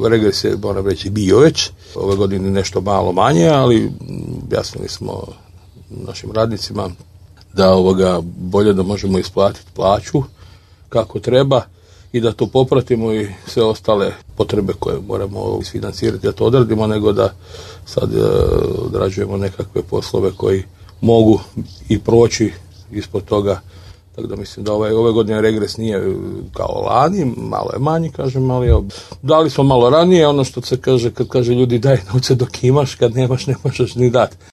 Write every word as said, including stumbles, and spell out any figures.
Regres je, moram reći, bio već. Ove godine nešto malo manje, ali objasnili smo našim radnicima da ovoga bolje da možemo isplatiti plaću kako treba i da to popratimo i sve ostale potrebe koje moramo isfinancirati da to odradimo, nego da sad e, odrađujemo nekakve poslove koji mogu i proći ispod toga. Tako da mislim da ovaj, ove godine regres nije kao lani, malo je manji, kažem, ali evo, dali smo malo ranije, ono što se kaže, kad kaže ljudi daj novce dok imaš, kad nemaš ne možeš ni dati.